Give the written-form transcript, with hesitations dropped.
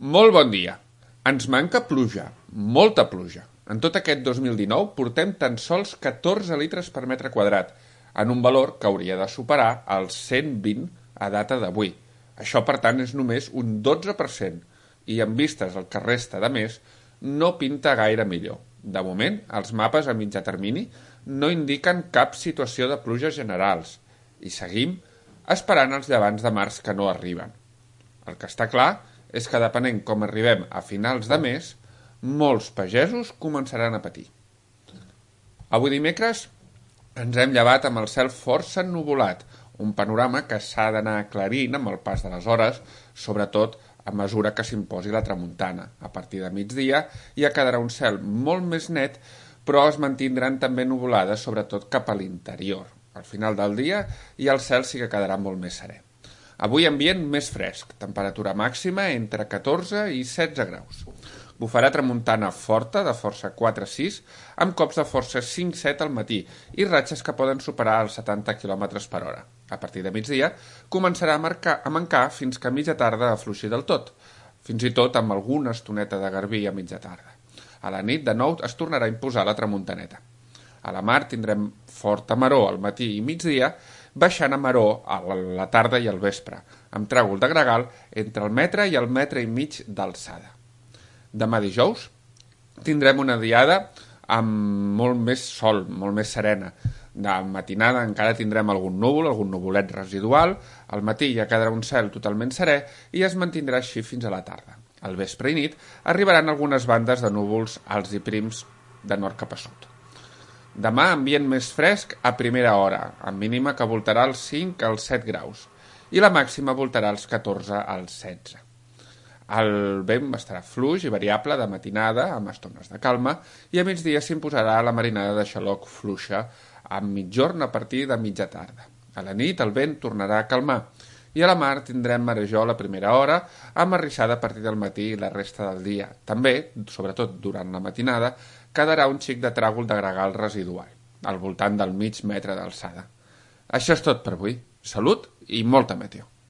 Molt bon dia. Ens manca pluja, molta pluja. En tot aquest 2019 portem tan sols 14 litres per metre quadrat, en un valor que hauria de superar els 120 a data d'avui. Això, per tant, és només un 12%, i en vistes al que resta de mes, no pinta gaire millor. De moment, els mapes a mitjà termini no indiquen cap situació de pluges generals, i seguim esperant els llevants de març que no arriben. El que està clar és que depenent com arribem a finals de mes, molts pagesos començaran a patir. Avui dimecres ens hem llevat amb el cel força ennuvolat, un panorama que s'ha d'anar aclarint amb el pas de les hores, sobretot a mesura que s'imposi la tramuntana. A partir de migdia ja quedarà un cel molt més net, però es mantindran també nuvolades, sobretot cap a l'interior. Al final del dia ja el cel sí que quedarà molt més serè. Avui ambient més fresc, temperatura màxima entre 14 i 16 graus. Bufarà tramuntana forta de força 4-6, amb cops de força 5-7 al matí i ratxes que poden superar els 70 km per hora. A partir de migdia començarà a mancar fins que a mitja tarda afluixi del tot, fins i tot amb alguna estoneta de garbí a mitja tarda. A la nit, de nou, es tornarà a imposar la tramuntaneta. A la mar tindrem forta maror al matí i migdia, baixant a maror a la tarda i al vespre, amb tràgol de gregal entre el metre i el metre i mig d'alçada. Demà dijous tindrem una diada amb molt més sol, molt més serena. De matinada encara tindrem algun núvol, algun nuvolet residual, al matí ja quedarà un cel totalment serè i es mantindrà així fins a la tarda. Al vespre i nit arribaran algunes bandes de núvols alts i prims de nord cap a sud. Demà ambient més fresc a primera hora, amb mínima que voltarà als 5 als 7 graus, i la màxima voltarà als 14 als 16. El vent estarà fluix i variable de matinada, amb estones de calma, i a migdia s'imposarà la marinada de xaloc fluixa, amb mitjorn a partir de mitja tarda. A la nit el vent tornarà a calmar, i a la mar tindrem marejol a primera hora, amb arrissada a partir del matí i la resta del dia. També, sobretot durant la matinada, quedarà un xic de tràgol de gregal residual, al voltant del mig metre d'alçada. Això és tot per avui. Salut i molta meteo.